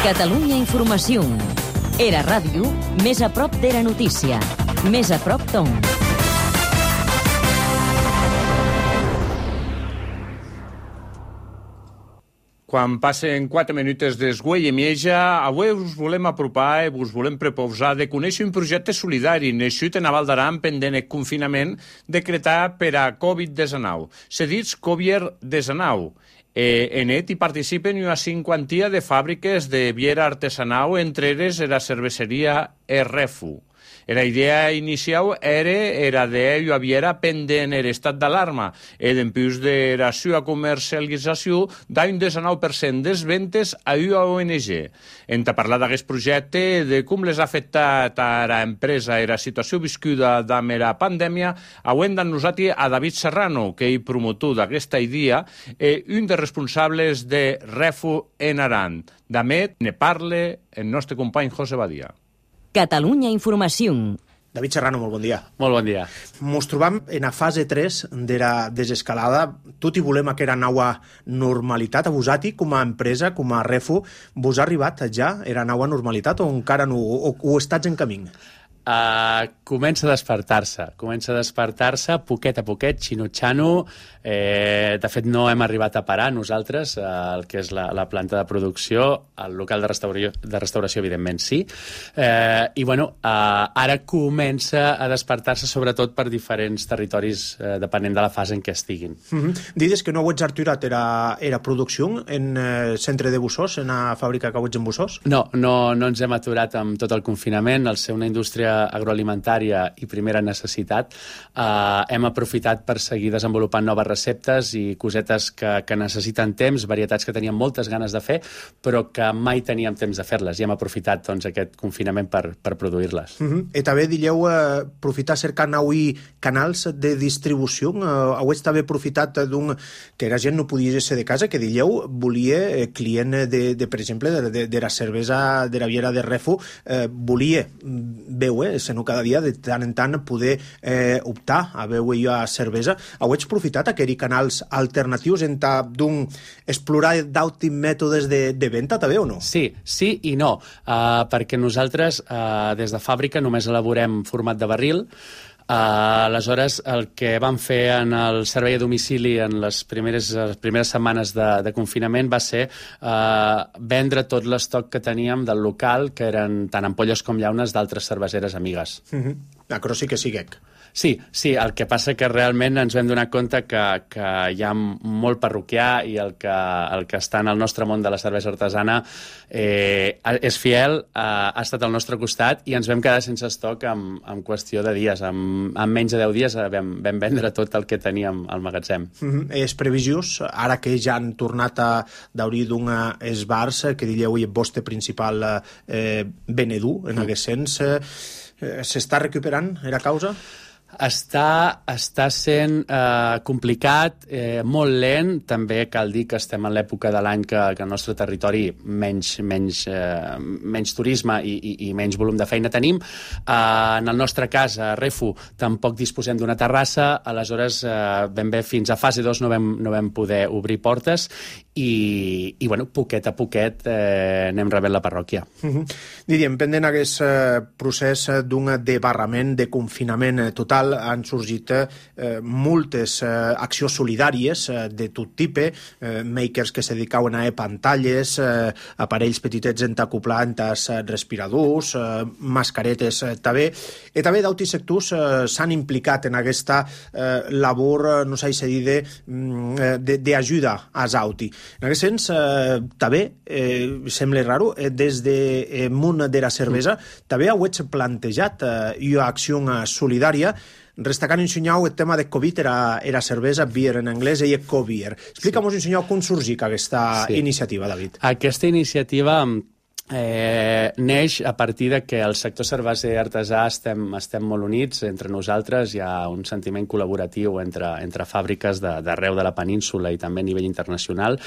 Catalunya Informació. Era ràdio, més a prop d'Era Notícia. Més a prop d'on. Quan passen 4 minuts d'esguell i mieja, avui us volem apropar i us volem proposar de conèixer un projecte solidari nascut en Val d'Aran pendent el confinament decretat per a Covid-19. Se dit Covid-19. En ell hi participen una cinquantia de fàbriques de viera artesanal, entre elles la cerveseria Refu. La idea inicial era de viera pendent l'estat d'alarma i dempués de la seva comercialització d'un 19% des ventes a una ONG. Hem de parlar d'aquest projecte, de com les ha afectat a l'empresa i la situació viscuda amb la pandèmia, avui hem d'anosaltres a David Serrano, que és promotor d'aquesta idea i un dels responsables de Refu en Aran. D'amet ne parla el nostre company José Badia. Catalunya Informació. David Serrano, molt bon dia. Molt bon dia. Mos trobam en la fase 3 de la desescalada. Tot i volem aquesta nova normalitat. A vosaltres, com a empresa, com a Refu, vos ha arribat ja la nova normalitat o encara no, o estats en camí? Comença a despertar-se poquet a poquet, xino-xano. De fet, no hem arribat a parar nosaltres, el que és la planta de producció, el local de restauració evidentment sí. I bueno, ara comença a despertar-se sobretot per diferents territoris, depenent de la fase en què estiguin. Dides que no heu aturat la producció en centre de Bussós, en la fàbrica que heu en Bussós? No ens hem aturat amb tot el confinament. Al ser una indústria agroalimentària i primera necessitat, hem aprofitat per seguir desenvolupant noves receptes i cosetes que necessiten temps, varietats que teníem moltes ganes de fer, però que mai teníem temps de fer-les, i hem aprofitat doncs, aquest confinament per produir-les. I també dieu aprofitar cercar nous canals de distribució. Heu també aprofitat que la gent no podia ser de casa, que dieu volia client per exemple, de la cervesa de la viera de Refu, volia veure, sinó cada dia de tant en tant poder optar a veure jo a cervesa. Heu aprofitat aquells canals alternatius en d'un explorar d'altres mètodes de venda també o no? Sí i no, perquè nosaltres des de fàbrica només elaborem format de barril. Aleshores, el que vam fer en el servei a domicili en les primeres setmanes de confinament va ser vendre tot l'estoc que teníem del local, que eren tant ampolles com llaunes d'altres cerveseres amigues. Però sí que siguec. Sí, el que passa que realment ens vam donar compte que hi ha molt parroquià i el que està en el nostre món de la cervesa artesana és fiel, ha estat al nostre costat i ens vam quedar sense estoc en qüestió de dies. En menys de 10 dies vam vendre tot el que teníem al magatzem. És previsiós, ara que ja han tornat a d'obrir d'uns bars, que diríeu el vostre principal venedor en aquest sens, s'està recuperant la causa? Està sent complicat, molt lent. També cal dir que estem en l'època de l'any que al nostre territori menys turisme i menys volum de feina tenim. En el nostre cas, a Refu, tampoc disposem d'una terrassa, aleshores ben bé fins a fase 2 no vam poder obrir portes i bueno, poquet a poquet anem rebent la parròquia. Diríem, pendent aquest procés d'un debarrament, de confinament total, han sorgit moltes accions solidàries de tot tipus, makers que se dedicaven a pantalles, aparells petitets entacoplants, respiradors, mascaretes també, i també d'altres sectors s'han implicat en aquesta labor, no sé si dir, d'ajuda als altres. En aquest sens, també, sembla raro, des del món de la cervesa, també heu plantejat una acció solidària destacant, ensenyau, el tema de Covid era cervesa, beer en anglès, i co-beer. Explica'm, ensenyau, com sorgeix aquesta iniciativa, David. Aquesta iniciativa neix a partir de que el sector cerveser artesà estem molt units entre nosaltres, hi ha un sentiment col·laboratiu entre fàbriques d'arreu de la península i també a nivell internacional,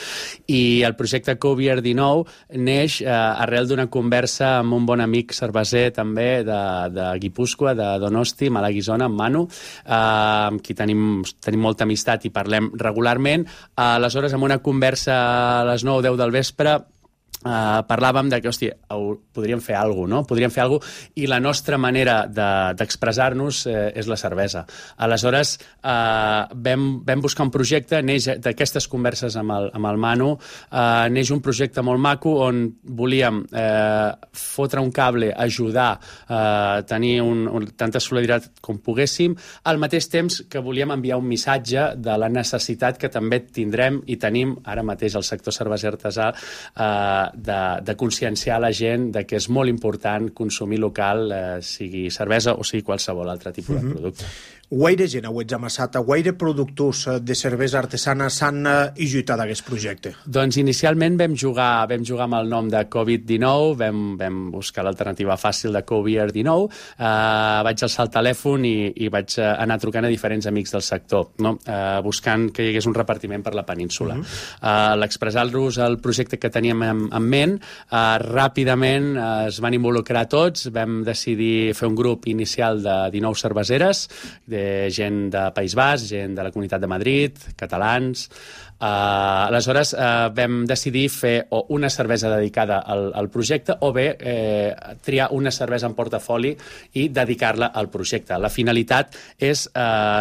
i el projecte Co-Beer 19 neix arrel d'una conversa amb un bon amic cerveser també de Guipúscoa, de Donosti, Malaguisona, en Manu, amb qui tenim molta amistat i parlem regularment. Aleshores, en una conversa a les 9 o 10 del vespre, parlàvem de que, hòstia, podríem fer alguna cosa, no? Podríem fer alguna cosa, i la nostra manera d'expressar-nos és la cervesa. Aleshores, vam buscar un projecte, neix d'aquestes converses amb el Manu, neix un projecte molt maco on volíem fotre un cable, ajudar, tenir tanta solidaritat com poguéssim, al mateix temps que volíem enviar un missatge de la necessitat que també tindrem i tenim ara mateix al sector cerveser artesà de conscienciar la gent de que és molt important consumir local, sigui cervesa o sigui qualsevol altre tipus de producte. Guaire gent heu amassat, guaire productors de cervesa artesana s'han ajudat a aquest projecte? Doncs inicialment vam jugar amb el nom de Covid-19, vam buscar l'alternativa fàcil de Co-Beer 19, vaig alçar el telèfon i vaig anar trucant a diferents amics del sector, no? Buscant que hi hagués un repartiment per la península. L'expressar-los el projecte que teníem en ment, ràpidament es van involucrar tots, vam decidir fer un grup inicial de 19 cerveseres, gent de País Basc, gent de la Comunitat de Madrid, catalans. Aleshores vam decidir fer o una cervesa dedicada al projecte o bé triar una cervesa en portafoli i dedicar-la al projecte. La finalitat és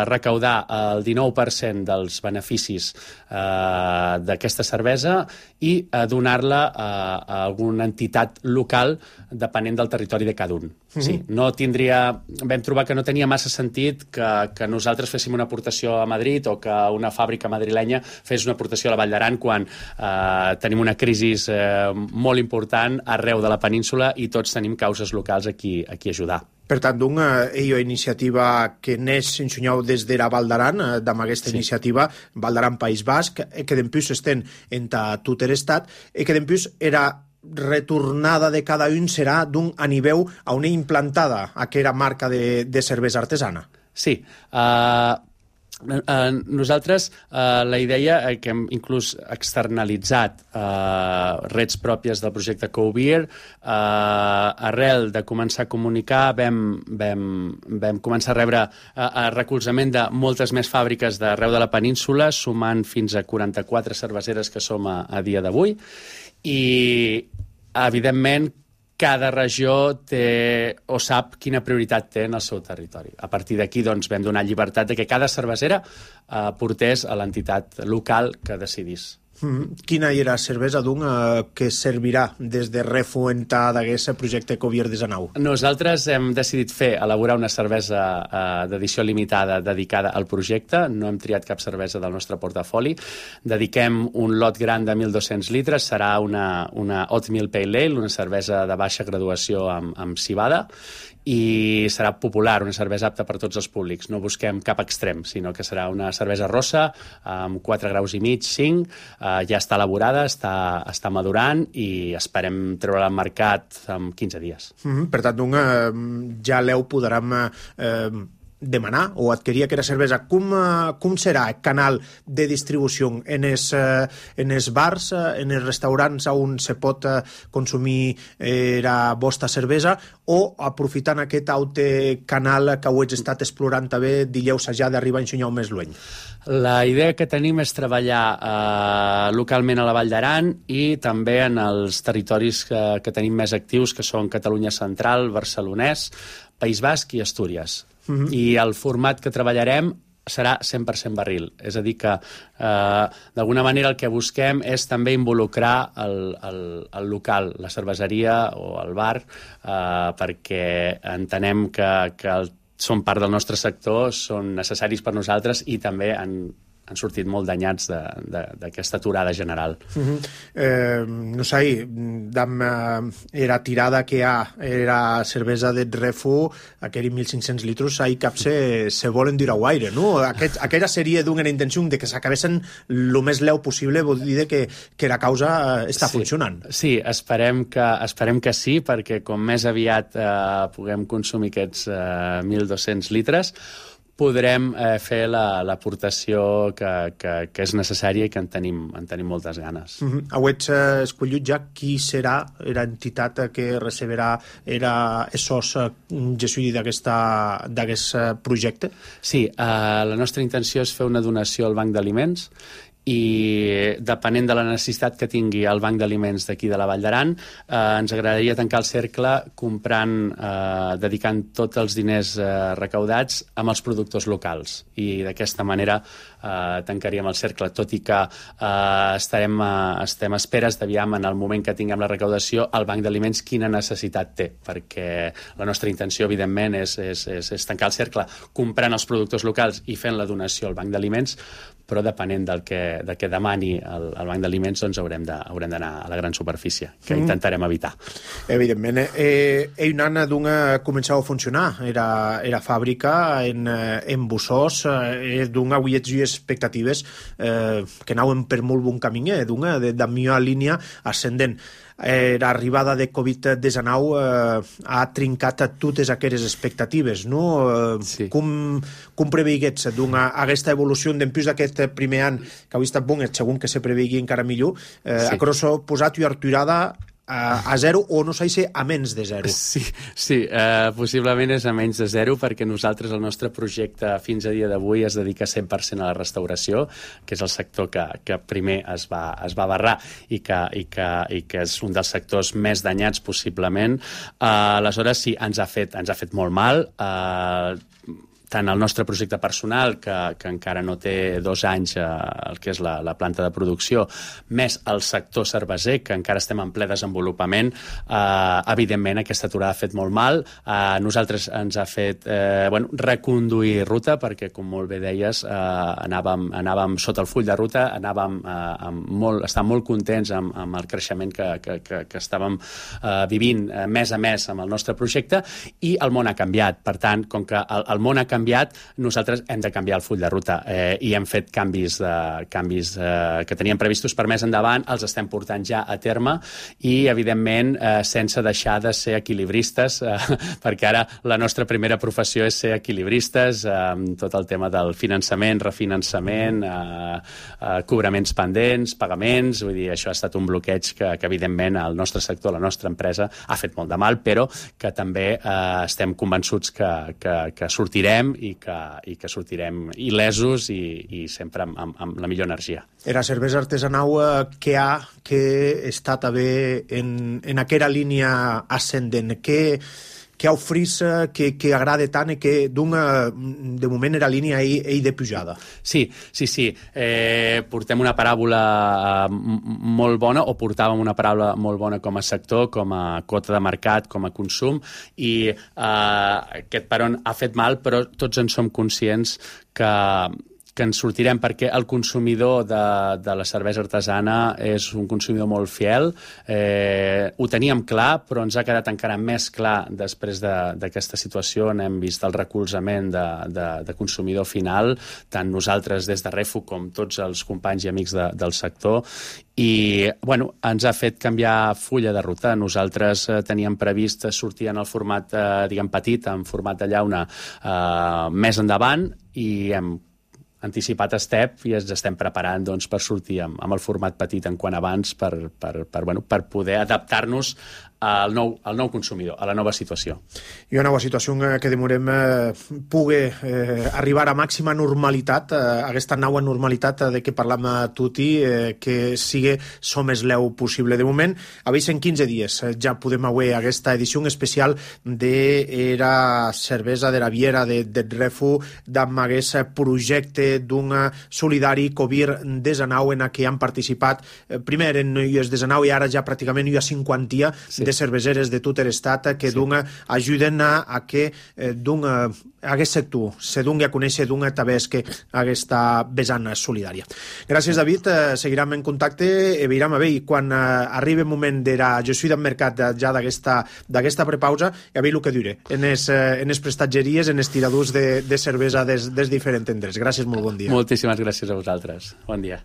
recaudar el 19% dels beneficis d'aquesta cervesa i donar-la a alguna entitat local depenent del territori de cada un. Sí, vam trobar que no tenia massa sentit que nosaltres féssim una aportació a Madrid o que una fàbrica madrilenya fes una aportació a la Vall d'Aran quan tenim una crisi molt important arreu de la península i tots tenim causes locals a qui ajudar. Per tant, una iniciativa que neix, ensenyeu, des de la Vall d'Aran, amb aquesta iniciativa, Vall d'Aran País Basc, que d'empús estem en tot l'estat, i que d'empús era retornada de cada un serà a nivell a una implantada aquella marca de cervesa artesana. Sí, nosaltres la idea que hem inclús externalitzat reds pròpies del projecte Co-Beer, arrel de començar a comunicar vam començar a rebre recolzament de moltes més fàbriques d'arreu de la península, sumant fins a 44 cerveseres que som a dia d'avui, i evidentment cada regió té o sap quina prioritat té en el seu territori. A partir d'aquí doncs, vam donar llibertat de que cada cervesera portés a l'entitat local que decidís. Quina era la cervesa que servirà des de refuentar d'aquest projecte Co-Beer 19? Nosaltres hem decidit elaborar una cervesa d'edició limitada dedicada al projecte. No hem triat cap cervesa del nostre portafoli. Dediquem un lot gran de 1.200 litres. Serà una Oatmeal Pale Ale, una cervesa de baixa graduació amb civada, i serà popular, una cervesa apta per tots els públics. No busquem cap extrem, sinó que serà una cervesa rossa amb 4 graus i mig, 5, ja està elaborada, està madurant i esperem treure-la al mercat en 15 dies. Per tant, ja l'heu podrem demanar o adquirir aquesta cervesa. Com serà el canal de distribució en els bars, en els restaurants on se pot consumir la vostra cervesa, o aprofitant aquest altre canal que ho heu estat explorant també, digueu ja d'arribar a ensenyar més lluny? La idea que tenim és treballar localment a la Vall d'Aran i també en els territoris que tenim més actius, que són Catalunya Central, Barcelonès, País Basc i Astúries. I el format que treballarem serà 100% barril. És a dir que, d'alguna manera, el que busquem és també involucrar el local, la cerveseria o el bar, perquè entenem que són part del nostre sector, són necessaris per nosaltres i també han sortit molt danyats d'aquesta aturada general. No sé, era tirada que era cervesa de refu, aquells 1.500 litros, ahí cap se volen dir a guaire, no? Aquella seria d'una intenció de que s'acabessin el més leu possible, vol dir que la causa està funcionant. Sí, esperem que sí, perquè com més aviat puguem consumir aquests 1.200 litres, podrem fer l'aportació que és necessària i que en tenim moltes ganes. Heu escollit ja qui serà l'entitat que receberà esos gestors d'aquest projecte? Sí, la nostra intenció és fer una donació al Banc d'Aliments i depenent de la necessitat que tingui el Banc d'Aliments d'aquí de la Vall d'Aran, ens agradaria tancar el cercle dedicant tots els diners recaudats amb els productors locals. I d'aquesta manera tancaríem el cercle, tot i que estem a esperes d'aviam en el moment que tinguem la recaudació el Banc d'Aliments quina necessitat té, perquè la nostra intenció, evidentment, és tancar el cercle comprant els productors locals i fent la donació al Banc d'Aliments, però depenent del que demani el Banc d'Aliments, doncs haurem d'anar a la gran superfície, que intentarem evitar. Evidentment. Un any començava a funcionar. Era fàbrica en Bussós, avui expectatives que anaven per molt bon camí, de millor línia ascendent. L'arribada de Covid-19 ha trincat totes aquelles expectatives, no? Sí. Com preveiguets aquesta evolució després d'aquest primer any, que avui ha estat bon, segon que se preveigui encara millor, a crosso posat i arturada a zero, o no sé si a menys de zero. Sí, possiblement és a menys de zero, perquè nosaltres, el nostre projecte fins a dia d'avui es dedica 100% a la restauració, que és el sector que primer es va barrar i que és un dels sectors més danyats possiblement. Aleshores, sí, ens ha fet molt mal, tant el nostre projecte personal, que encara no té 2 anys el que és la planta de producció, més el sector cerveser, que encara estem en ple desenvolupament, evidentment aquesta aturada ha fet molt mal. Nosaltres ens ha fet reconduir ruta, perquè, com molt bé deies, anàvem sota el full de ruta, estàvem molt contents amb el creixement que estàvem vivint mes a mes amb el nostre projecte, i el món ha canviat. Per tant, com que el món ha canviat, nosaltres hem de canviar el full de ruta i hem fet canvis que teníem previstos per més endavant, els estem portant ja a terme i, evidentment, sense deixar de ser equilibristes, perquè ara la nostra primera professió és ser equilibristes, tot el tema del finançament, refinançament, cobraments pendents, pagaments, vull dir, això ha estat un bloqueig que evidentment, el nostre sector, la nostra empresa, ha fet molt de mal, però que també estem convençuts que sortirem i que sortirem il·lesos i sempre amb la millor energia. Era cervesa artesanal que està també en aquella línia ascendent, que ofrís, que agrada tant i que de moment era línia de pujada. Sí. Portem una paràbola molt bona, o portàvem una paràbola molt bona com a sector, com a quota de mercat, com a consum, i aquest peron ha fet mal, però tots en som conscients que ens sortirem, perquè el consumidor de la cervesa artesana és un consumidor molt fiel. Ho teníem clar, però ens ha quedat encara més clar després d'aquesta situació. N'hem vist el recolzament de consumidor final, tant nosaltres des de Refu com tots els companys i amics del sector, i ens ha fet canviar fulla de ruta. Nosaltres teníem previst sortir en el format petit, en format de llauna, més endavant, i hem anticipat step i ens estem preparant per sortir amb el format petit en quant abans per poder adaptar-nos al nou consumidor, a la nova situació. I una nova situació que demorem pugui arribar a màxima normalitat, aquesta nova normalitat de què parlam tutti, que sigui so més leu possible. De moment, avisen 15 dies, ja podem veure aquesta edició especial de la cervesa de la Viera de Refu, amb aquest projecte d'un solidari Covid-19 en què han participat primer en US-19 i ara ja pràcticament hi ha 50 de cerveseres de tot l'estat que ajuden a que aquest sector se doni a conèixer també que aquesta vessant solidària. Gràcies, David. Seguirem en contacte i veurem a veure quan arribi el moment de la gestió del mercat ja d'aquesta prepausa i a veure el que diré en les prestatgeries, en els tiradors de cervesa dels diferents tendres. Gràcies, molt bon dia. Moltíssimes gràcies a vosaltres. Bon dia.